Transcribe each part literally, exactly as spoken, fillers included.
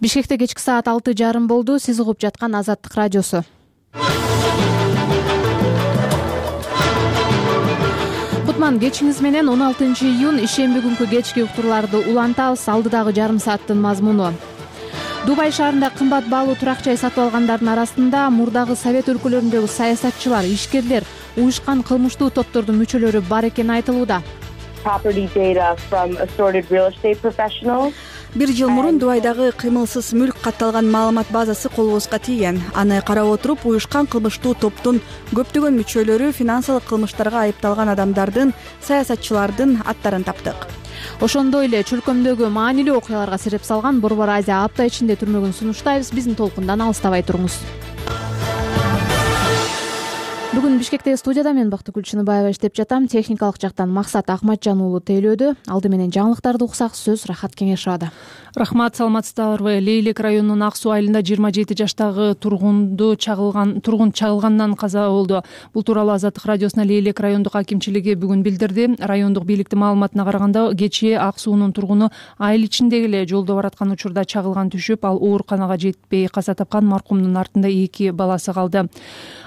Бишкекте кечки саат алты жарым болду. Сиз угуп жаткан Азаттык радиосу. Кутман кечиңиз менен он алтынчы июнь ишемби күнкү кечки уктурларды улантабыз. Алдыдагы жарым сааттын мазмуну. Дубай шаарында кымбат баалуу турак жай сатып алгандардын арасында мурдагы Совет өлкөлөрүндөгү саясатчылар, ишкерлер, уюшкан кылмыштуу топтордун мүчөлөрү бар экени айтылууда. Бир жыл мурун Дубайдагы кыймылсыз мүлк катталган маалымат базасы колубузга тийген. Аны карап отуруп, уюшкан кылмыштуу топтун көптөгөн мүчөлөрү финансылык кылмыштарга айыпталган адамдардын, саясатчылардын аттарын таптык. Ошондой эле чөлкөмдөгү маанилүү окуяларга сереп салган Борбор Азия апта ичинде түрмөгүн сунуштайбыз. Биздин толкундан алыстабай туруңуз. Бүгүн Бишкектеги студияда мен Бактыгүл Чыныбаева иштеп жатам. Техникалык жактан Максат Акматжан уулу тейлөөдө. Алды менен жаңылыктарды уксак, сөз Рахат Кеңешовада. Рахмат, саламатсыздарбы? Лейлек районунун Ак Суу айылында жыйырма жети жаштагы тургунду чагылган тургун чагылгандан каза болду. Бул тууралуу Азаттык радиосуна Лейлек райондук акимчилиги бүгүн билдирди. Райондук бийликтин маалыматына караганда, кечээ Ак Суунун тургуну айыл ичиндеги эле жолдо бараткан учурда чагылган түшүп, ал ооруканага жетпей каза тапкан. Маркумдун артында эки баласы калды.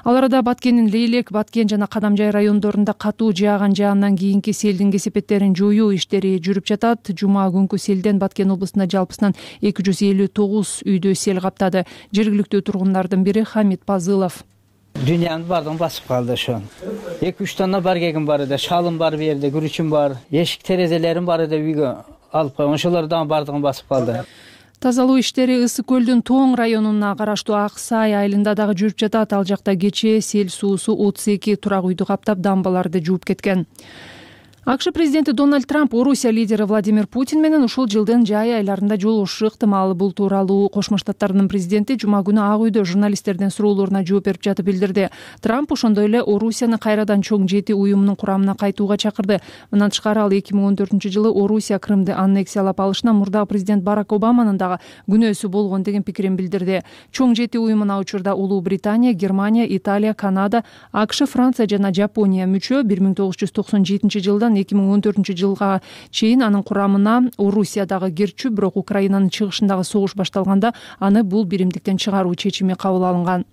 Ал арада Баткендин Лейлек, Баткен жана Кадамжай райондорунда катуу жааган жаандан кийинки селдин кесепеттерин жоюу иштери жүрүп жатат. Жума күнкү селден Баткен облусунда жалпысынан эки жүз элүү тогуз үйдө сел каптады. Жергиликтүү тургундардын бири Хамит Пазылов. Дүйнөнүн баардыгын басып калды ошон. эки үч тонна баргегим бар эде, шалым бар, бу жерде күрүчүм бар, эшик терезелерим бар эде, үйгө алып койгон. Ошолор дагы баардыгын басып калды. Тазалоо иштери Ысык көлдүн Тоң районуна караштуу Ак Сай айылында дагы жүрүп жатат. Ал жакта кечээ сел суусу отуз эки турак үйдү каптап, дамбаларды жууп кеткен. АКШ президенти Дональд Трамп Орусия лидери Владимир Путин менен ушул жылдын жай айларында жолугушушу ыктымал. Бул тууралуу Кошмо Штаттардын президенти жума күнү Ак үйдө журналисттердин суроолоруна жооп берип жатып билдирди. Трамп ошондой эле Орусияны кайрадан чоң жети уюмунун курамына кайтууга чакырды. Мындан тышкары ал эки миң он төртүнчү жылы Орусия Крымды аннексиялап алышына мурдагы президент Барак Обаманын дагы күнөөсү болгон деген пикирин билдирди. Чоң жети уюмуна учурда Улуу Британия, Германия, Италия, Канада, АКШ, Франция жана Жапония мүчө. бир миң тогуз жүз токсон жетинчи жылдан эки миң он төртүнчү жылга чейин анын курамына Орусия дагы кирчү, бирок Украинанын чыгышындагы согуш башталганда аны бул биримдиктен чыгаруу чечими кабыл алынган.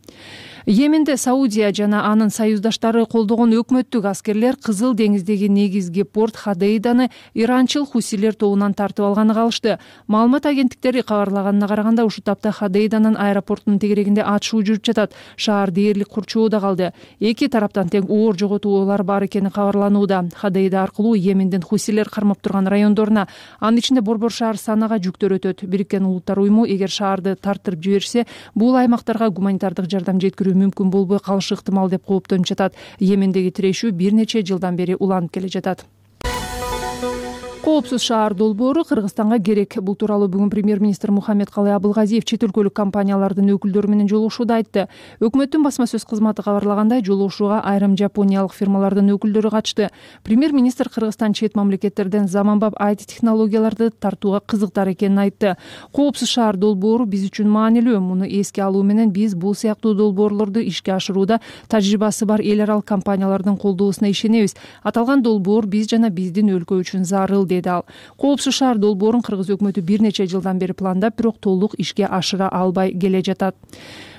Йеменде Саудия жана анын союздаштары колдогон өкмөттүк аскерлер Кызыл деңиздеги негизги порт Ходейданы иранчыл хусилер тобунан тартып алганын калышты. Маалымат агенттиктери кабарлаганына караганда, ушул тапта Ходейданын аэропортунун тегерегинде атышуу жүрүп жатат. Шаар дээрлик курчоодо калды. Эки тараптан тең оор жоготуулар бар экени кабарланууда. Ходейда аркылуу Йемендин хусилер кармап турган райондоруна, анын ичинде Борбор шаар Санага жүктөр өтөт. Бириккен Улуттар уюму эгер шаарды тартырып жиберсе, бул аймактарга гуманитардык жардам жеткирүү мүмкүн болбой калышы ыктымал деп кооптонуп жатат. Йемендеги тирешүү бир нече жылдан бери уланып келе жатат. Коопсуз шаар долбоору Кыргызстанга керек. Бул тууралуу бүгүн премьер-министр Мухаммедкалый Абылгазиев чет өлкөлүк компаниялардын өкүлдөрү менен жолугушууда айтты. Өкмөттүн басма сөз кызматы кабарлагандай, жолугушууга айрым жапониялык фирмалардын өкүлдөрү катышты. Премьер-министр Кыргызстан чет мамлекеттерден заманбап ай ти технологияларды тартууга кызыктар экенин айтты. Коопсуз шаар долбоору биз үчүн маанилүү. Муну эске алуу менен биз бул сыяктуу долбоорлорду ишке ашырууда тажрыйбасы бар эл аралык компаниялардын колдоосуна ишенебиз. Аталган долбоор биз жана биздин өлкө үчүн зарыл, деди ал. Коопсуз шаар долбоорун Кыргыз өкмөтү бир нече жылдан бери пландап, бирок толук ишке ашыра албай келе жатат.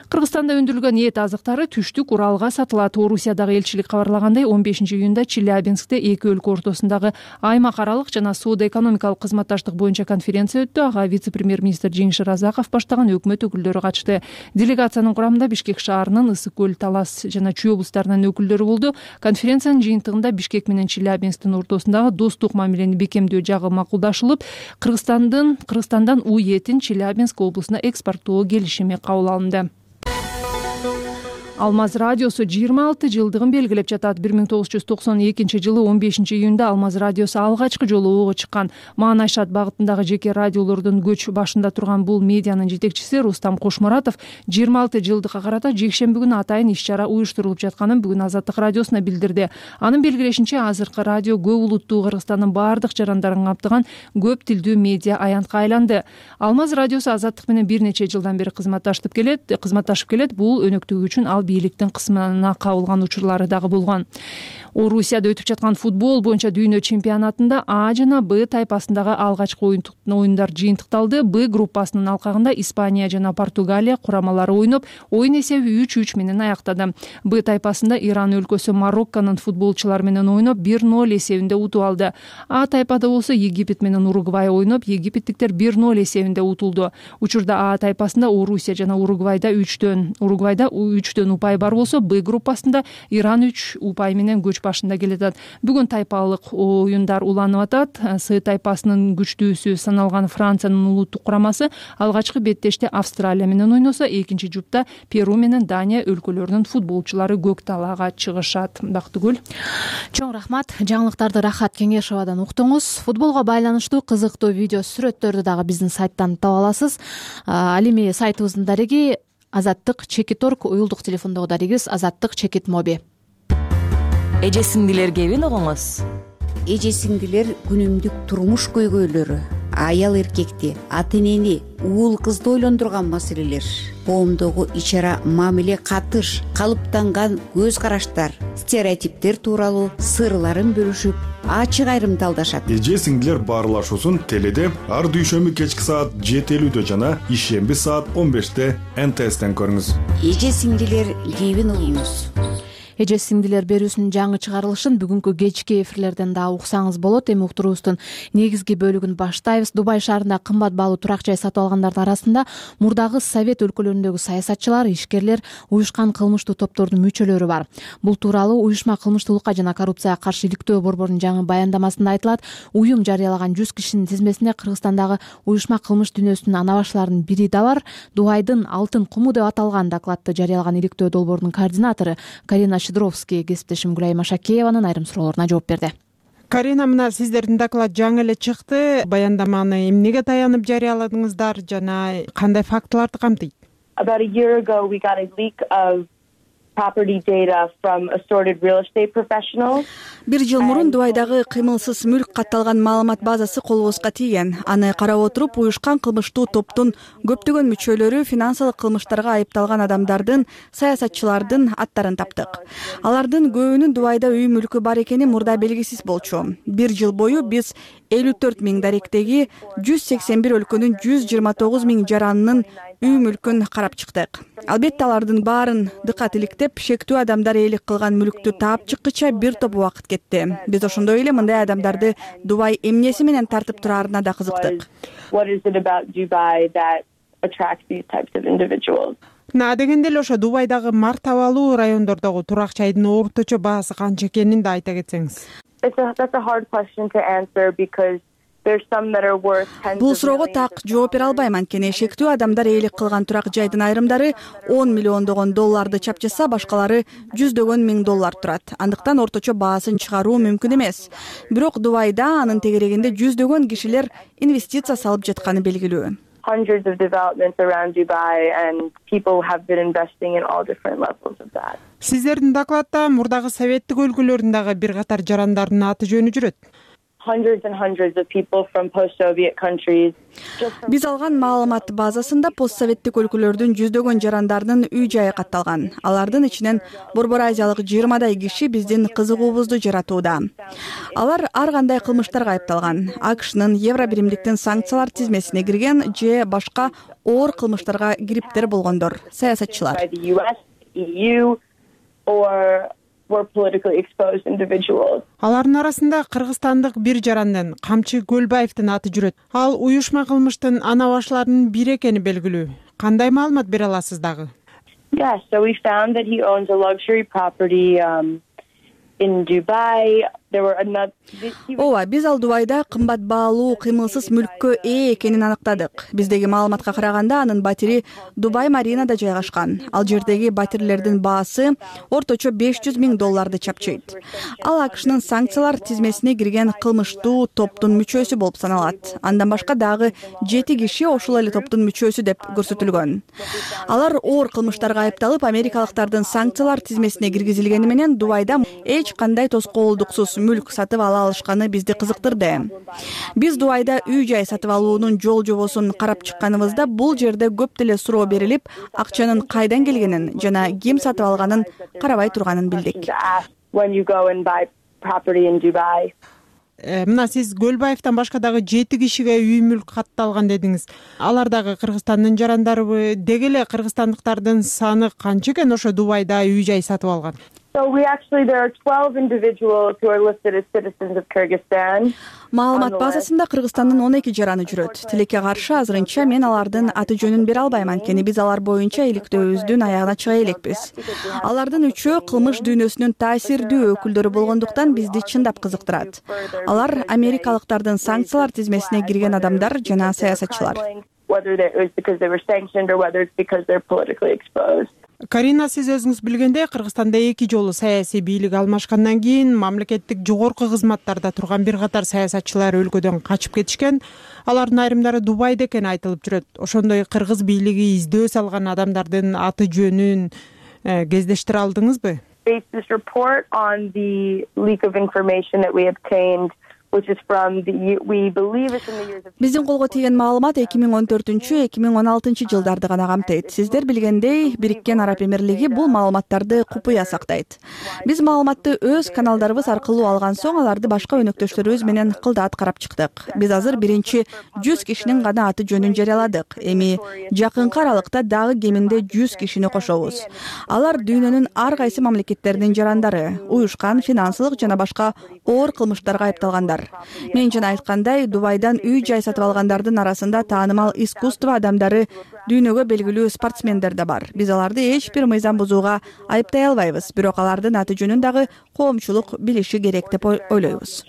Кыргызстанда өндүрүлгөн эт азыктары түштүк Уралга сатылат. Орусиядагы элчилик кабарлагандай, он бешинчи июнда Челябинскте эки өлкө ортосундагы аймак аралык жана соода-экономикалык кызматташтык боюнча конференция өттү. Ага вице-премьер-министр Жеңиш Разаков баштаган өкмөт өкүлдөрү катышты. Делегациянын курамында Бишкек шаарынын, Ысык көл, Талас жана Чүй облустарынын өкүлдөрү болду. Конференциянын жыйынтыгында Бишкек менен Челябинсктин ортосундагы достук мамилени бекемдөө жагы макулдашылып, Кыргызстандын Кыргызстандан у этин Челябинск облусуна экспорттоо келишими кабыл алынды. Алмаз радиосу жыйырма алты жылдыгын белгилеп жатат. бир миң тогуз жүз токсон экинчи жылы он бешинчи июнда Алмаз радиосу алгачкы жолу ого чыккан. Маанайшат багытындагы жеке радиолордун көч башында турган бул медианын жетекчиси Рустам Кошмуратов жыйырма алты жылдыкка карата жекшемби күнү атайын иш-чара уюштурулуп жатканын бүгүн Азаттык радиосуна билдирди. Анын белгилешинче, азыркы радио көп улуттуу Кыргызстандын баардык жарандарын каптаган көп тилдүү медиа аянтка айланды. Алмаз радиосу Азаттык менен бир нече жылдан бери кызматташып келет. Кызматташып келет. Бул өнөктүгү үчүн ал бийликтин кысымына кабылган учурлары дагы болгон. Орусияда өтүп жаткан футбол боюнча дүйнө чемпионатында А жана Б тайпасындагы алгачкы оюндар жыйынтыкталды. Б группасынын алкагында Испания жана Португалия курамалары ойноп, оюн эсеби үч үч менен аяктады. Б тайпасында Иран өлкөсү Марокконун футболчулары менен ойноп бир ноль эсебинде утуп алды. А тайпада болсо Египет менен Уругвай ойноп, египеттиктер бир ноль эсебинде утулду. Учурда А тайпасында Орусия жана Уругвайда үчтөн, Уругвайда үчтөн упай бар болсо, Б группасында Иран үч упай менен көч башында келатат. Бүгүн тайпалык оюндар уланып атат. С тайпасынын күчтүүсү саналган Франциянын улуттук курамасы алгачкы беттеште Австралия менен ойносо, экинчи жупта Перу менен Дания өлкөлөрүнүн футболчулары көк талаага чыгышат. Бактыгүл. Чоң рахмат. Жаңылыктарды Рахат Кеңешовадан уктуңуз. Футболго байланыштуу кызыктуу видео сүрөттөрдү дагы биздин сайттан таба аласыз. Ал эми сайтыбыздын дареги Азаттык Чекит орг, уюлдук телефондогу дарегибиз Азаттык Чекит моби. Эже сиңдилер кебин угуңуз. Эже сиңдилер күнүмдүк турмуш көйгөйлөрү, аял эркекти, ата энени, уул кызды ойлондурган маселелер, коомдогу ич ара мамиле катыш, калыптанган көз караштар, стереотиптер тууралуу сырларын бөлүшүп, ачык айрымталдашат. Эже сиңдилер баарлашуусун теледе ар дүйшөмбү кечки саат жети элүүдө жана ишемби саат он беште Н Т Стен көрүңүз. Эже сиңдилер кебин угуңуз. Эже сиңдилер берүүсүнүн жаңы чыгарылышын бүгүнкү кечки эфирлерден да уксаңыз болот. Эми уктуруубуздун негизги бөлүгүн баштайбыз. Дубай шаарында кымбат баалуу турак жай сатып алгандардын арасында мурдагы Совет өлкөлөрүндөгү саясатчылар, ишкерлер, уюшкан кылмыштуу топтордун мүчөлөрү бар. Бул тууралуу уюшма кылмыштуулукка жана коррупцияга каршы иликтөө борборунун жаңы баяндамасында айтылат. Уюм жарыялаган жүз кишинин тизмесине Кыргызстандагы уюшма кылмыш дүйнөсүнүн ана башларынын бири да бар. Дубайдын алтын куму деп аталган докладты жарыялаган иликтөө долбоорунун координатору Карина Шидровский кесиптешим Гүлайым Ашакееванын айрым суроолоруна жооп берди. Карина, мына сиздердин доклад жаңы эле чыкты. Баяндаманы эмнеге таянып жарыяладыңыздар жана кандай фактыларды камтыйт? About a year ago we got a leak of property data from assorted real estate professionals. Бир жыл мурун Дубайдагы кыймылсыз мүлк катталган маалымат базасы колубузга тийген. Аны карап отуруп, уюшкан кылмыштуу топтун көптөгөн мүчөлөрү финансылык кылмыштарга айыпталган адамдардын, саясатчылардын аттарын таптык. Алардын көбүнүн Дубайда үй мүлкү бар экени мурда белгисиз болчу. Бир жыл бою биз элүү төрт миң даректеги жүз сексен бир өлкөнүн жүз жыйырма тогуз миң жаранынын үй мүлкүн карап чыктык. Албетте алардын баарын дыкат иликтеп, шектүү адамдар ээлик кылган мүлктү таап чыккыча бир топ убакыт кетти. Биз ошондой эле мындай адамдарды Дубай эмнеси менен тартып тураарына да кызыктык. На дегенде эле ошо Дубайдагы мартабалуу райондордогу турак жайдын орточо баасы канча экенин да айта кетсеңиз. Бул суроого так жооп бере албайм, анткени шектүү адамдар ээлик кылган турак жайдын айрымдары он миллиондогон долларды чапчаса, башкалары жүздөгөн миң доллар турат. Андыктан орточо баасын чыгаруу мүмкүн эмес. Бирок Дубайда анын тегерегинде жүздөгөн кишилер инвестиция салып жатканы белгилүү. Hundreds of developments around Dubai and people have been investing in all different levels of that. Сиздердин докладта мурдагы советтик өлкөлөрүндөгү бир катар жарандардын аты жөнү жүрөт. Hundreds and hundreds of people from post-Soviet countries. Биз алган маалымат базасында постсоветтик өлкөлөрдүн жүздөгөн жарандарынын үй жайы катталган. Алардын ичинен Борбор Азиялык жыйырмадай киши биздин кызыгуубузду жаратууда. Алар ар кандай кылмыштарга айыпталган. АКШнын Евро биримдиктин санкциялар тизмесине кирген же башка оор кылмыштарга кириптер болгондор, саясатчылар. Алардын арасында кыргызстандык бир жарандын, Камчы Көлбаевдин аты жүрөт. Ал уюшма кылмыштын ана башларынын бири экени белгилүү. Кандай маалымат бере аласыз дагы? Yes, so we found that he owns a luxury property um, in Dubai. There were another Ооба, биз ал Дубайда кымбат баалуу кыймылсыз мүлккө ээ экенин аныктадык. Биздеги маалыматка караганда анын батири Дубай Маринада жайгашкан. Ал жердеги батирлердин баасы орточо беш жүз миң долларды чапчыйт. Ал АКШнын санкциялар тизмесине кирген кылмыштуу топтун мүчөсү болуп саналат. Андан башка дагы жети киши ошол эле топтун мүчөсү деп көрсөтүлгөн. Алар оор кылмыштарга айыпталып, америкалыктардын санкциялар тизмесине киргизилгени менен Дубайда эч кандай тоскоолдуксуз мүлк сатып ала алышканы бизди кызыктырды. Биз Дубайда үй жай сатып алуунун жол жобосун карап чыкканыбызда бул жерде көп деле суроо берилип, акчанын кайдан келгенин жана ким сатып алганын карабай турганын билдик. Мына сиз Көлбаевден башка дагы жети кишиге үй мүлк катталган дедиңиз. Алар дагы Кыргызстандын жарандарыбы? Деги эле кыргызстандыктардын саны канча экен ошо Дубайда үй жай сатып алган? Маалымат базасында Кыргызстандын он эки жараны жүрөт. Тилекке каршы азырынча мен алардын аты жөнүн бере албайм, анткени биз алар боюнча иликтөөбүздүн аягына чыга элекпиз. Алардын үчөө кылмыш дүйнөсүнүн таасирдүү өкүлдөрү болгондуктан бизди чындап кызыктырат. Алар америкалыктардын санкциялар тизмесине кирген адамдар жана саясатчылар. Карина, сиз өзүңүз билгендей, Кыргызстанда эки жолу саясий бийлик алмашкандан кийин мамлекеттик жогорку кызматтарда турган бир катар саясатчылар өлкөдөн качып кетишкен. Алардын айрымдары Дубайда экени айтылып жүрөт. Ошондой кыргыз бийлиги издөө салган адамдардын аты жөнүн кездештире алдыңызбы? Биздин колго тийген маалымат эки миң он төртүнчү эки миң он алтынчы жылдарды гана камтыйт. Сиздер билгендей, Бириккен Араб Эмирлиги бул маалыматтарды купуя сактайт. Биз маалыматты өз каналдарыбыз аркылуу алган соң аларды башка өнөктөштөрүбүз менен кылдаат карап чыктык. Биз азыр биринчи жүз кишинин гана аты жөнүн жарыяладык. Эми жакынкы аралыкта дагы кеминде жүз кишини кошобуз. Алар дүйнөнүн ар кайсы мамлекеттеринин жарандары, уюшкан финансылык жана башка оор кылмыштарга айыпталгандар. Мен жана айткандай, Дубайдан үй жай сатып алгандардын арасында таанымал искусство адамдары, дүйнөгө белгилүү спортсмендер да бар. Биз аларды эч бир мыйзам бузууга айыптай албайбыз, бирок алардын аты жөнүн дагы коомчулук билиши керек деп ойлойбуз.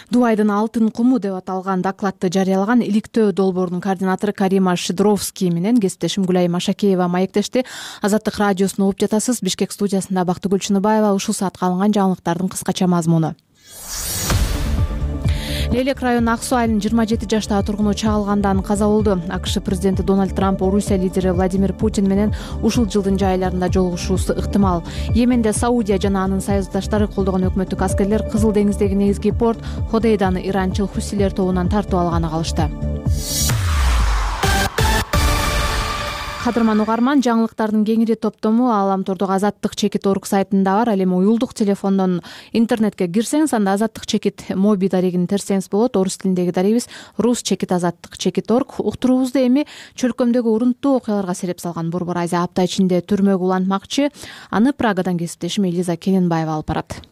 Дубайдын алтын куму деп аталган докладты жарыялаган иликтөө долбоорунун координатору Карима Шидровский менен кесиптешим Гүлай Машакеева маектешти. Азаттык радиосуна угуп жатасыз. Бишкек студиясында Бактыгүл Чыныбаева. Ушул саатка алынган жаңылыктардын кыскача мазмуну. Лелек районунун Ак Суу айылынын жыйырма жети жаштагы тургуну чагылгандан каза болду. АКШ президенти Дональд Трамп Орусия лидери Владимир Путин менен ушул жылдын жай айларында жолугушуусу ыктымал. Йеменде Саудия жана анын союздаштары колдогон өкмөттүк аскерлер Кызыл деңиздеги негизги порт Ходейданы иранчыл Хусилер тобунан тартып алганы калышты. Кадырман угарман, жаңылыктардын кеңири топтому Ааламтордогу Азаттык чекит орг сайтында бар. Ал эми уюлдук телефондон интернетке кирсеңиз, анда Азаттык чекит моби дарегин терсеңиз болот. Орус тилиндеги дарегибиз рус чекит азаттык чекит орг. Уктуруубузду эми чөлкөмдөгү урунттуу окуяларга сереп салган Борбор Азия апта ичинде түрмөгө улантмакчы. Аны Прагадан кесиптешим Элиза Кененбаева алып барат.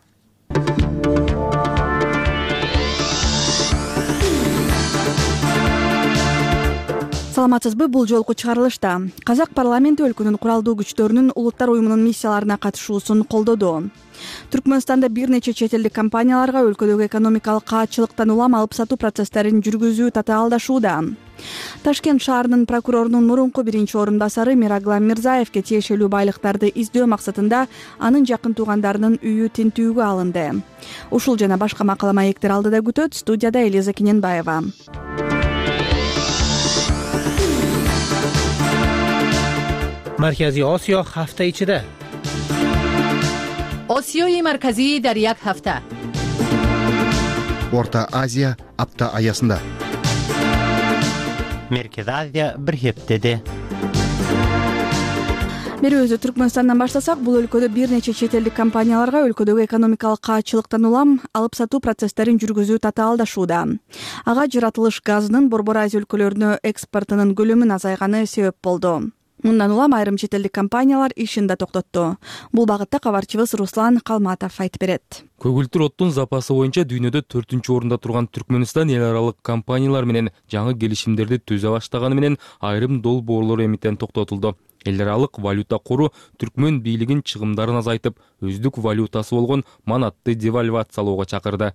Саламатсызбы? Бул жолку чыгарылышта Казак парламенти өлкөнүн куралдуу күчтөрүнүн улуттар уюмунун миссияларына катышуусун колдоду. Түркмөнстанда бир нече чет элдик компанияларга өлкөдөгү экономикалык каатчылыктан улам алып сатуу процесстерин жүргүзүү татаалдашууда. Ташкент шаарынын прокурорунун мурунку биринчи орун басары Мираглам Мирзаевке тиешелүү байлыктарды издөө максатында анын жакын туугандарынын үйү тинтүүгө алынды. Ушул жана башка макала маектер алдыда күтөт. Студияда Элиза Кененбаева. Маркази Осиё ҳафта ичида. Осиёи марказӣ дар як ҳафта. Орта Азия апта аясында. Меркези Азия бир хептеде. Берүүбүздү Түркмөнстандан баштасак, бул өлкөдө бир нече чет элдик компанияларга өлкөдөгү экономикалык каатчылыктан улам алып сатуу процесстерин жүргүзүү татаалдашууда. Ага жаратылыш газынын Борбор Азия өлкөлөрүнө экспортунун көлөмүн азайганы себеп болду. Мындан улам айрым чет элдик компаниялар ишин да токтотту. Бул багытта кабарчыбыз Руслан Калматов айтып берет. Көгүлтүр оттун запасы боюнча дүйнөдө төртүнчү орунда турган Түркмөнстан эл аралык компаниялар менен жаңы келишимдерди түзө баштаганы менен айрым долбоорлор эмитен токтотулду. Эл аралык валюта кору түркмөн бийлигин чыгымдарын азайтып, өздүк валютасы болгон манатты девальвациялоого чакырды.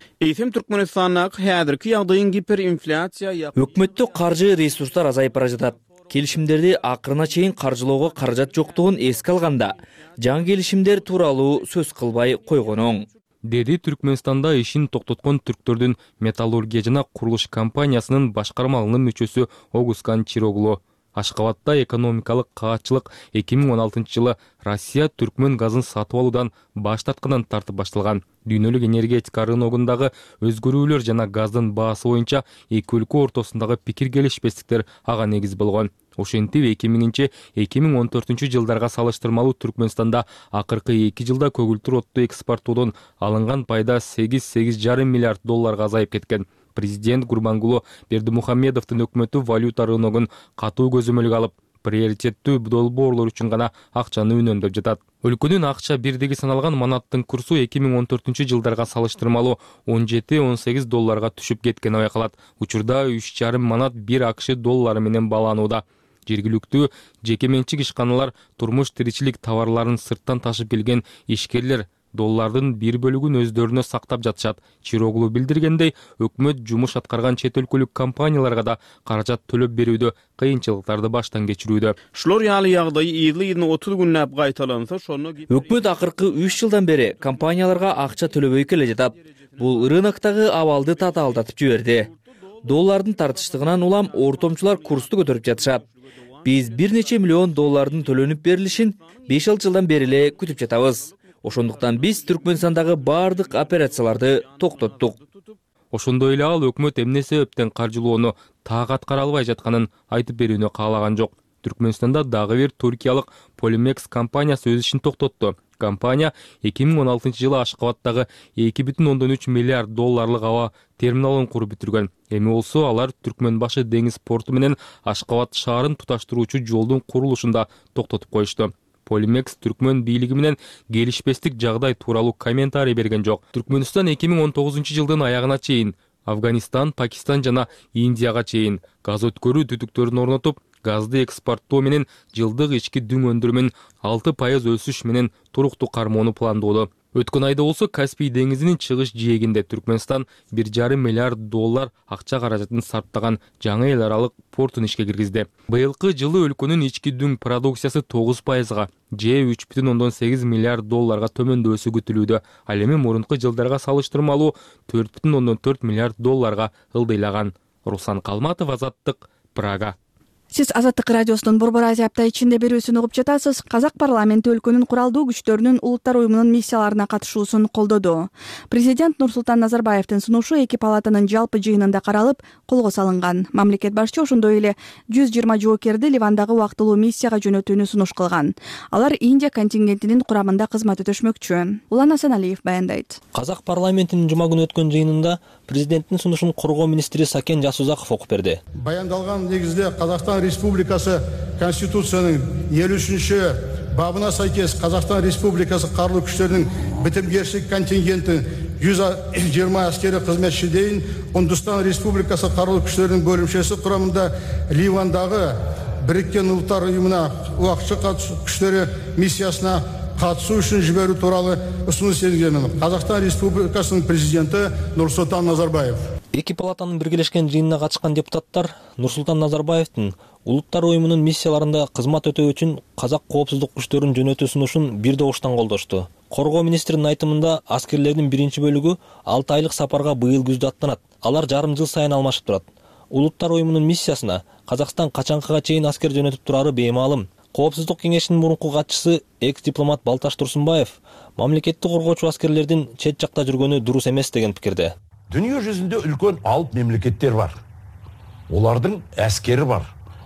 Өкмөттүк каржы ресурстар азайып бара жатат. Келишимдерди акырына чейин каржылоого каражат жоктугун эске алганда, жаңы келишимдер тууралуу сөз кылбай койгон оң, деди Түркмөнстанда ишин токтоткон түрктөрдүн металлургия жана курулуш компаниясынын башкармалыгынын мүчөсү Огускан Чироглу. Ашкабадда экономикалык каатчылык эки миң он алтынчы жылы Россия түркмөн газын сатып алуудан баш тарткандан тартып башталган. Дүйнөлүк энергетика рыногундагы өзгөрүүлөр жана газдын баасы боюнча эки өлкө ортосундагы пикир келишпестиктер ага негиз болгон. Ошентип эки миңинчи эки миң он төртүнчү жылдарга салыштырмалуу Түркмөнстанда акыркы эки жылда көгүлтүр отту экспорттоодон алынган пайда сегиз сегиз жарым миллиард долларга азайып кеткен. Президент Гурбангулы Бердимухамедовдун өкмөтү валюта рыногун катуу көзөмөлгө алып, приоритеттүү долбоорлор үчүн гана акчаны үнөмдөп жатат. Өлкөнүн акча бирдиги саналган манаттын курсу эки миң он төртүнчү жылдарга салыштырмалуу он жети он сегиз долларга түшүп кеткени байкалат. Учурда үч жарым манат бир АКШ доллары менен бааланууда. Жергиликтүү жеке менчик ишканалар турмуш тиричилик товарларын сырттан ташып келген ишкерлер доллардын бир бөлүгүн өздөрүнө сактап жатышат. Чироглу билдиргендей, өкмөт жумуш аткарган чет өлкөлүк компанияларга да каражат төлөп берүүдө кыйынчылыктарды баштан кечирүүдө. Өкмөт акыркы үч жылдан бери компанияларга акча төлөбөй келе жатат. Бул рыноктогу абалды татаалдатып жиберди. Доллардын тартыштыгынан улам ортомчулар курсту көтөрүп жатышат. Биз бир нече миллион доллардын төлөнүп берилишин беш алты жылдан бери эле күтүп жатабыз. Ошондуктан биз Түркмөнстандагы бардык операцияларды токтоттук. Ошондой эле ал өкмөт эмне себептен каржылоону так аткара албай жатканын айтып берүүнү каалаган жок. Түркмөнстанда дагы бир туркиялык Polymex компаниясы өз ишин токтотту. Компания эки миң он алтынчы жылы Ашкабадтагы эки бүтүн ондон үч миллиард долларлык аба терминалын куруп бүтүргөн. Эми болсо алар Түркмөнбашы деңиз порту менен Ашкабад шаарын туташтыруучу жолдун курулушун да токтотуп коюшту. Polymex Түркмөн бийлиги менен келишпестик жагдай тууралуу комментарий берген жок. Түркмөнстан эки миң он тогузунчу жылдын аягына чейин Афганистан, Пакистан жана Индияга чейин газ өткөрүү түтүктөрүн орнотуп, газды экспорттоо менен жылдык ички дүң өндүрүмүн алты пайыз өсүш менен туруктуу кармоону пландоодо. Өткөн айда болсо Каспий деңизинин чыгыш жээгинде Түркмөнстан бир жарым миллиард доллар акча каражатын сарптаган жаңы эл аралык портун ишке киргизди. Быйылкы жылы өлкөнүн ички дүң продукциясы тогуз пайызга, же үч бүтүн ондон сегиз миллиард долларга төмөндөшү күтүлүүдө. Ал эми мурунку жылдарга салыштырмалуу төрт бүтүн ондон төрт миллиард долларга ылдыйлаган. Руслан Калматов, Азаттык, Прага. Сиз Азаттык радиосунун Борбор Азия апта ичинде берүүсүн угуп жатасыз. Казак парламенти өлкөнүн куралдуу күчтөрүнүн Улуттар уюмунун миссияларына катышуусун колдоду. Президент Нурсултан Назарбаевдин сунушу эки палатанын жалпы жыйынында каралып, колго салынган. Мамлекет башчы ошондой эле жүз жыйырма жоокерди Ливандагы убактылуу миссияга жөнөтүүнү сунуш кылган. Алар Индия контингентинин курамында кызмат өтөшмөкчү. Улан Асаналиев баяндайт. Казак парламентинин жума күнү өткөн жыйынында президенттин сунушун коргоо министри Сакен Жасузаков окуп берди. Баяндалган негизде Казакстан Республикасы Конституциянын элүү үчүнчү бабына сайкес Казакстан Республикасы карулуу күчтөрүнүн битимгерчилик контингенти жүз жыйырма аскери кызметчи дейин Үндүстан Республикасы карулуу күчтөрүнүн бөлүмчөсү курамында Ливандагы Бириккен Улуттар уюмуна убакытчы күчтөрү миссиясына катышуу үчүн жиберүү тууралуу усунуш енгизген Казакстан Республикасынын президенти Нурсултан Назарбаев. Эки палатанын биргелешкен жыйынына катышкан депутаттар Нурсултан Назарбаевдин Улуттар уюмунун миссияларында кызмат өтөө үчүн казак коопсуздук күчтөрүн жөнөтүү сунушун бир добуштан колдошту. Коргоо министринин айтымында аскерлердин биринчи бөлүгү алты айлык сапарга быйыл күздө аттанат. Алар жарым жыл сайын алмашып турат. Улуттар уюмунун миссиясына Казакстан качанкыга чейин аскер жөнөтүп турары беймаалым. Коопсуздук кеңешинин мурунку катчысы экс-дипломат Балташ Турсунбаев мамлекетти коргоочу аскерлердин чет жакта жүргөнү дурус эмес деген пикирде. Дүнүйө жүзүндө үлкөн алып мемлекеттер бар. Олардын аскери бар.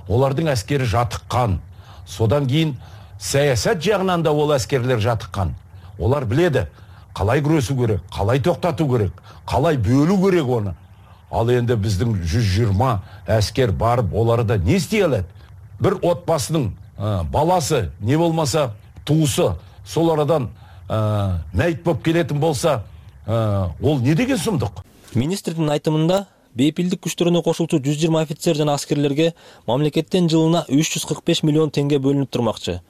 Олардын аскери жатыккан. Содан кийин саясат жагынан да ол аскерлер жатыккан. Олар биледи, калай күрөсүү керек, калай токтотуу керек, калай бөлүү керек оны. Ал энди биздин жүз жыйырма аскер барып, оларда не истей алат? Бир отбасынын баласы, не болмаса туусу, сол арадан мәйит болуп келетин болса, ол не деген сумдук? Министрдин айтымында бейпилдик күчтөрүнө кошулчу жүз жыйырма офицер жана аскерлерге мамлекеттен жылына үч жүз кырк беш миллион теңге бөлүнүп турмакчы.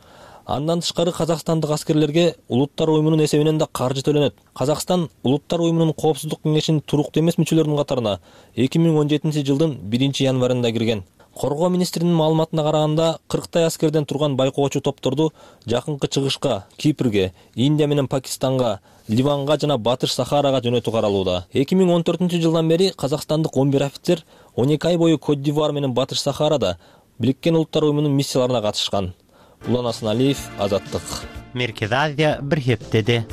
Андан тышкары казакстандык аскерлерге Улуттар уюмунун эсебинен да каржы төлөнөт. Казакстан Улуттар уюмунун коопсуздук кеңешинин туруктуу эмес мүчөлөрүнүн катарына эки миң он жетинчи жылдын биринчи январында кирген. Коргоо министринин маалыматына караганда кырктай аскерден турган байкоочу топторду жакынкы чыгышка, Кипрге, Индия менен Пакистанга, Ливанга жана Батыш Сахарага жөнөтүү каралууда. эки миң он төртүнчү жылдан бери казакстандык он бир офицер он эки ай бою Кот-д'Ивуар менен Батыш Сахарада Бириккен Улуттар уюмунун миссияларына катышкан. Улан Асаналиев, Азаттык. Меркез Азия бир хептеди.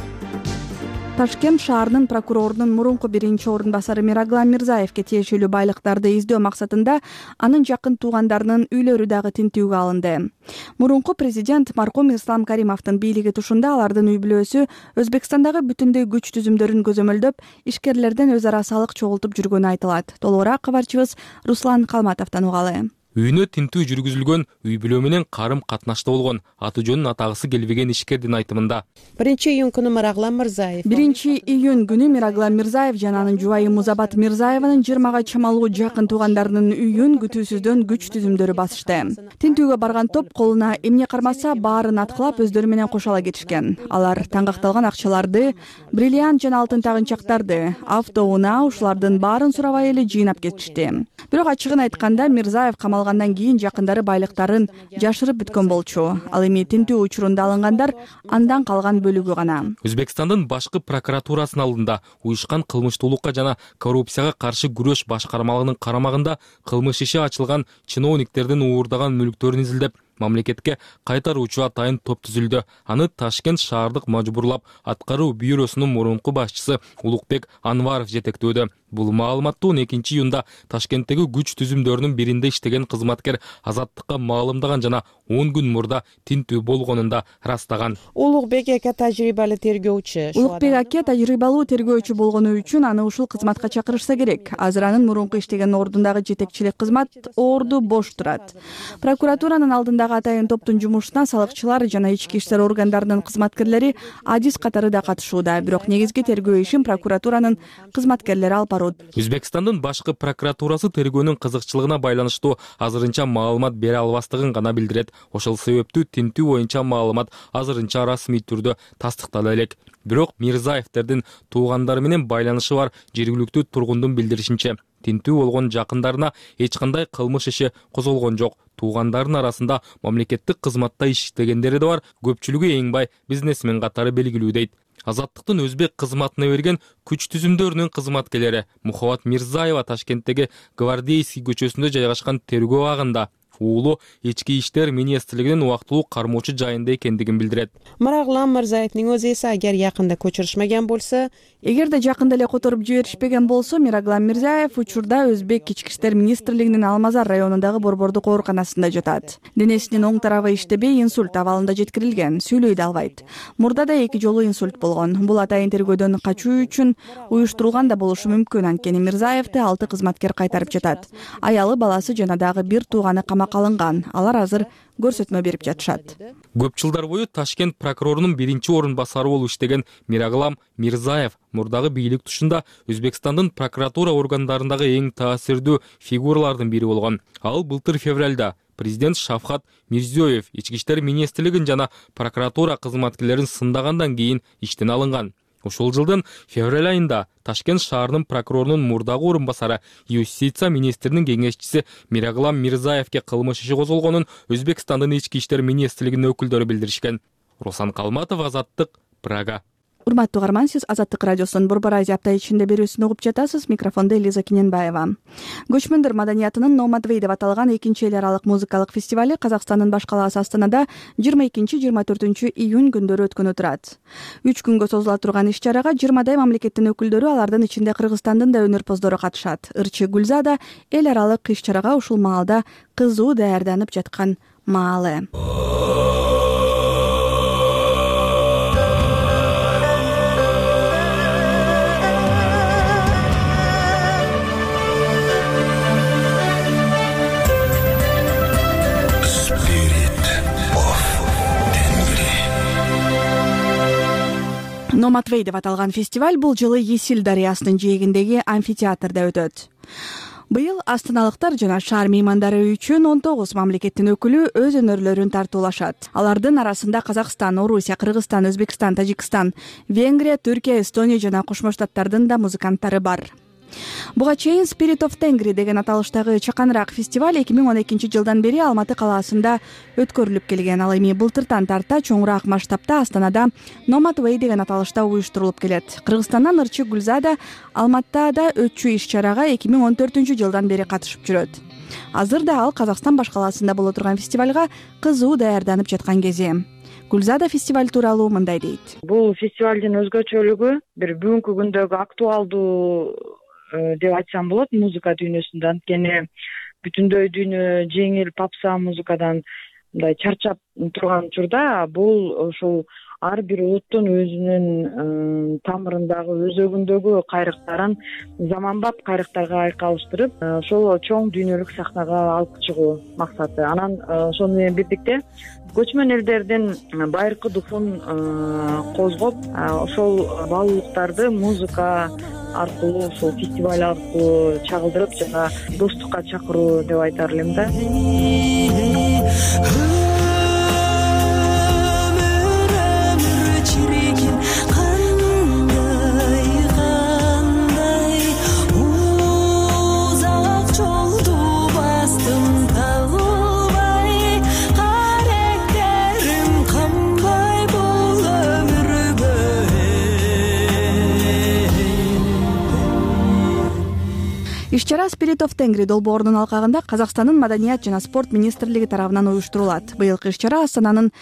Ташкент шаарынын прокурорунун мурунку биринчи орун басары Мираглам Мирзаевке тиешелүү байлыктарды издөө максатында анын жакын туугандарынын үйлөрү дагы тинтүүгө алынды. Мурунку президент маркум Ислам Каримовдун бийлиги тушунда алардын үй бүлөсү Өзбекстандагы бүтүндөй күч түзүмдөрүн көзөмөлдөп, ишкерлерден өз ара салык чогултуп жүргөнү айтылат. Толугураак кабарчыбыз Руслан Калматовдон угалы. Үйүнө тинтүү жүргүзүлгөн, үй бүлө менен карым катнашта болгон, аты жөнүн атагысы келбеген ишкердин айтымында. Биринчи июнь күнү Мираглам Мирзаев. Биринчи июнь күнү Мираглам Мирзаев жана анын жубайы Музабат Мирзаеванын жыйырмага чамалуу жакын туугандарынын үйүн күтүүсүздөн күч түзүмдөрү басышты. Тинтүүгө барган топ колуна эмне кармаса баарын аткылап өздөрү менен кошо ала кетишкен. Алар таңгакталган акчаларды, бриллиант жана алтын тагынчактарды, автоунаа ушулардын баарын сурабай эле жыйнап кетишти. Бирок ачыгын айтканда Мирзаев камалгандан кийин жакындары байлыктарын жашырып бүткөн болчу. Ал эми тинтүү учурунда алынгандар андан калган бөлүгү гана. Өзбекстандын башкы прокуратурасынын алдында уюшкан кылмыштуулукка жана коррупцияга каршы күрөш башкармалыгынын карамагында кылмыш иши ачылган чиновниктердин уурдаган мүлктөрүн изилдеп, мамлекетке кайтаруучу атайын топ түзүлдү. Аны Ташкент шаардык мажбурлап аткаруу бюросунун мурунку башчысы Улукбек Анваров жетектөөдө. Бул маалыматты он экинчи июнда Ташкенттеги күч түзүмдөрүнүн биринде иштеген кызматкер Азаттыкка маалымдаган жана он күн мурда тинтүү болгонун да ырастаган. Улукбек аке тажрыйбалуу тергөөчү. Улукбек аке тажрыйбалуу тергөөчү болгону үчүн аны ушул кызматка чакырышса керек. Азыр анын мурунку иштеген ордундагы жетекчилик кызмат орду бош турат. Прокуратуранын алдындагы атайын топтун жумушуна салыкчылар жана ички иштер органдарынын кызматкерлери адис катары да катышууда. Бирок негизги тергөө ишин прокуратуранын кызматкерлери алып барат. Өзбекстандын башкы прокуратурасы тергөөнүн кызыкчылыгына байланыштуу азырынча маалымат бере албастыгын гана билдирет. Ошол себептүү тинтүү боюнча маалымат азырынча расмий түрдө тастыктала элек. Бирок Мирзаевдердин туугандары менен байланышы бар жергиликтүү тургундун билдиришинче, тинтүү болгон жакындарына эч кандай кылмыш иши козголгон жок. Туугандардын арасында мамлекеттик кызматта иштегендери да бар, көпчүлүгү эң бай бизнесмен катары белгилүү дейт. Азаттыктын өзбек кызматына берген күч түзүмдөрүнүн кызматкерлери Мухаббат Мирзаева Ташкенттеги Гвардейский көчөсүндө жайгашкан тергөө абагында уулу ички иштер министрлигинин убактылуу кармоочу жайында экендигин билдирет. Мираглам Мирзаевдин өз эси агер жакында көчүрүшмөгөн болсо, эгерде жакында эле которуп жиберишпеген болсо, Мираглам Мирзаев учурда Өзбек ички иштер министрлигинин Алмазар районундагы борбордук ооруканасында жатат. Денесинин оң тарабы иштебей инсульт абалында жеткирилген, сүйлөй да албайт. Мурда да эки жолу инсульт болгон. Бул атайын тергөөдөн качуу үчүн уюштурулган да болушу мүмкүн. Анткени Мирзаевди алты кызматкер кайтарып жатат. Аялы, баласы жана дагы бир тууганы камакка алынган. Алар азыр көрсөтмө берип жатышат. Көп жылдар бою Ташкент прокурорунун биринчи орун басары болуп иштеген Мираглам Мирзаев мурдагы бийлик тушунда Өзбекстандын прокуратура органдарындагы эң таасирдүү фигуралардын бири болгон. Ал былтыр февралда президент Шавкат Мирзиёев ички иштер министрлигин жана прокуратура кызматкерлерин сындагандан кийин иштен алынган. Ушул жылдын февраль айында Ташкент шаарынын прокурорунун мурдагы орун басары юстиция министринин кеңешчиси Мираглам Мирзаевке кылмыш иши козголгонун Өзбекстандын ички иштер министрлигинин өкүлдөрү билдиришкен. Руслан Калматов, Азаттык, Прага. Урматтуу угарман, сиз Азаттык радиосунун Борбор Азия апта ичинде берүүсүн угуп жатасыз. Микрофондо Элиза Киненбаева. Көчмөндөр маданиятынын Номадвей деп аталган экинчи эл аралык музыкалык фестивали Казакстандын баш калаасы Астанада жыйырма экинчи жыйырма төртүнчү июнь күндөрү өткөнү турат. үч күнгө созула турган иш-чарага жыйырмадай мамлекеттин өкүлдөрү, алардын ичинде Кыргызстандын да өнөрпоздору катышат. Ырчы Гүлза да эл аралык иш-чарага ушул маалда кызуу даярданып жаткан маалы. Номадвей деп аталган фестиваль бул жылы Есил дарыясынын жээгиндеги амфитеатрда өтөт. Быйыл астаналыктар жана шаар меймандары үчүн он тогуз мамлекеттин өкүлү өз өнөрлөрүн тартуулашат. Алардын арасында Казакстан, Орусия, Кыргызстан, Өзбекстан, Тажикстан, Венгрия, Түркия, Эстония жана Кошмо Штаттардын да музыканттары бар. Буга чейин Spirit of Tengri деген аталыштагы чаканыраак фестиваль эки миң он экинчи жылдан бери Алматы калаасында өткөрүлүп келген. Ал эми былтыртан тарта чоңураак масштабта Астанада Номадвей деген аталышта уюштурулуп келет. Кыргызстандан Ырчы Гүлза да Алматыда өтчү иш-чарага эки миң он төртүнчү жылдан бери катышып жүрөт. Азыр да ал Казакстан баш калаасында боло турган фестивалга кызуу даярданып жаткан кези. Гүлзада фестиваль тууралуу мындай дейт. Бул фестивалдын өзгөчөлүгү бир бүгүнкү күндөгү актуалдуу деп айтсам болот музыка дүйнөсүндө. Анткени бүтүндөй дүйнө жеңил попса музыкадан мындай чарчап турган учурда бул ушул ар бир улуттун өзүнүн тамырындагы өзөгүндөгү кайрыктарын заманбап кайрыктарга айкалыштырып, ошол чоң дүйнөлүк сахнага алып чыгуу максаты. Анан ошону менен бирдикте көчмөн элдердин байыркы духун козгоп, ошол баалуулуктарды музыка аркылуу, ошол фестиваль аркылуу чагылдырып жана достукка чакыруу деп айтар элем да. Иш-чара Spirit of Tengri долбоорунун алкагында Казакстандын Маданият жана спорт министрлиги тарабынан уюштурулат. Быйылкы иш-чара Астананын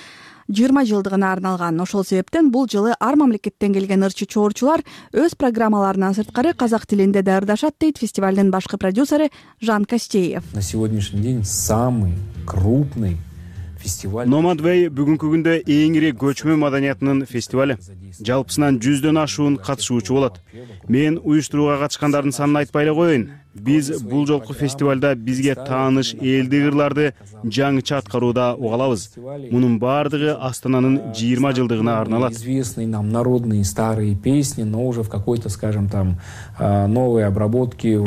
жыйырма жылдыгына арналган. Ошол себептен бул жылы ар мамлекеттен келген ырчы чоорчулар өз программаларынан сырткары казак тилинде даярдашат, дейт фестивалдын башкы продюсери Жан Костеев. На сегодняшний день самый крупный фестиваль. Nomadway бүгүнкү күндө эң ири көчмө маданиятынын фестивали. Жалпысынан жүздөн ашуун катышуучу болот. Мен уюштурууга катышкандардын санын айтпай эле коеюн. Биз бул жолку фестивалда бизге тааныш элдик ырларды жаңыча аткарууда уга алабыз. Мунун баардыгы Астананын жыйырма жылдыгына арналат. Известные нам народные старые песни, но уже в какой-то, скажем, там новой обработке.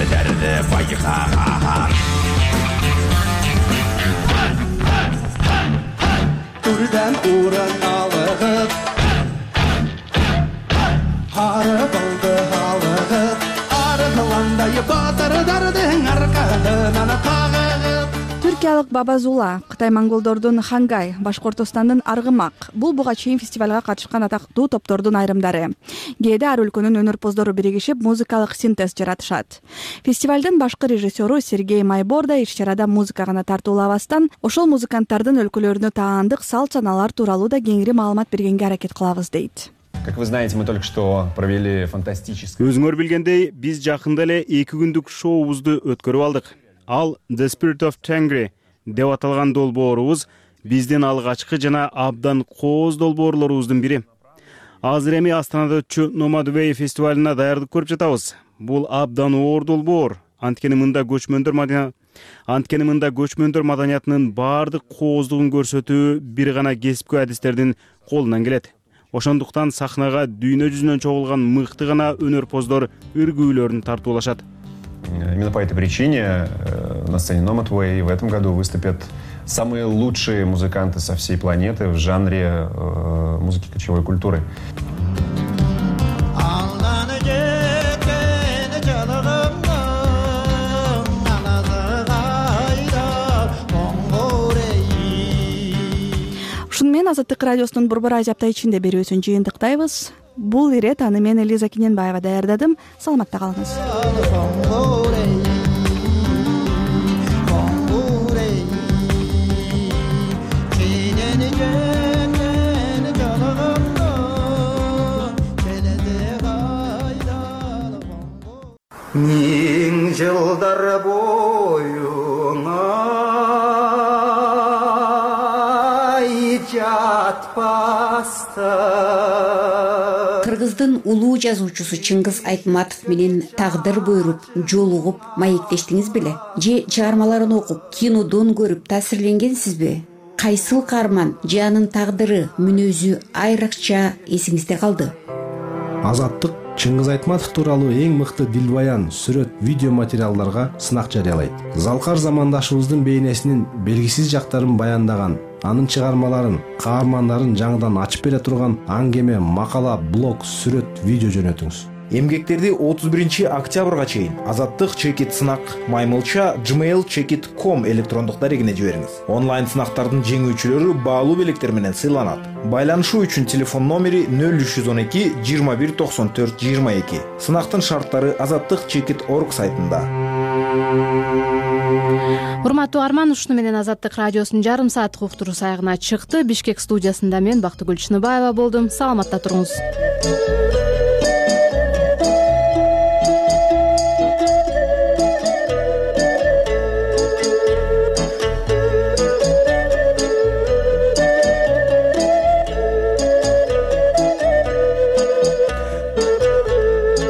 Түрден урын алығып, ары болды алығып, ары қыландай батырдардың арқадынан қағығып. Түркиялык Бабазула, Кытай монголдордун Хангай, Башкортостандын Аргымак. Бул буга чейин фестивалга катышкан атактуу топтордун айрымдары. Кээде ар өлкөнүн өнөрпоздору биригишип музыкалык синтез жаратышат. Фестивалдын башкы режиссеру Сергей Майбор да иш-чарада музыка гана тартуулабастан, ошол музыканттардын өлкөлөрүнө таандык салт-санаалар тууралуу да кеңири маалымат бергенге аракет кылабыз, дейт. Как вы знаете, мы только что провели фантастический. Өзүңөр билгендей, биз жакында эле эки күндүк шоубузду өткөрүп алдык. Ал The Spirit of Tengri деп аталган долбоорубуз биздин алгачкы жана абдан кооз долбоорлорубуздун бири. Азыр эми Астанада өтчү Nomadway фестивалына даярдык көрүп жатабыз. Бул абдан оор долбоор. Анткени мында көчмөндөр маданият Анткени мында көчмөндөр маданиятынын баардык кооздугун көрсөтүү бир гана кесипкөй адистердин колунан келет. Ошондуктан сахнага дүйнө жүзүнөн чогулган мыкты гана өнөрпоздор үргүүлөрүн тартуулашат. Именно по этой причине на сцене Nomadway в этом году выступят самые лучшие музыканты со всей планеты в жанре э, музыки кочевой культуры. Ушуну менен Азаттык радиосунун Борбор Азия апта ичинде берүүсүн жыйынтыктайбыз. Бул ирет аны мен Элиза Кененбаева даярдадым. Саламатта калыңыз. Миң жылдар бойуңа жатпаста. Кыргыздын улуу жазуучусу Чыңгыз Айтматов менен тагдыр буйруп, жолугуп, маектештиңиз беле? Же чыгармаларын окуп, кинодон көрүп таасирленгенсизби? Кайсыл каарман же анын тагдыры, мүнөзү айрыкча эсиңизде калды? Азаттык Чыңгыз Айтматов тууралуу эң мыкты дилбаян, сүрөт, видео материалдарга сынак жарыялайт. Залкар замандашыбыздын бейнесинин белгисиз жактарын баяндаган, анын чыгармаларын, каармандарын жаңыдан ачып бере турган аңгеме, макала, блог, сүрөт, видео жөнөтүңүз. Эмгектерди отуз биринчи октябрга чейин Азаттык чекит сынак маймылча gmail чекит точка ком электрондук дарегине жибериңиз. Онлайн сынактардын жеңүүчүлөрү баалуу белектер менен сыйланат. Байланышуу үчүн телефон номери нөл үч жүз он эки жыйырма бир токсон төрт жыйырма эки. Сынактын шарттары азаттык чекит точка орг сайтында. урматтуу арман, ушуну менен Азаттык радиосунун жарым сааттык уктуруусу аягына чыкты. Бишкек студиясында мен Бактыгүл Чыныбаева болдум. Саламатта туруңуз.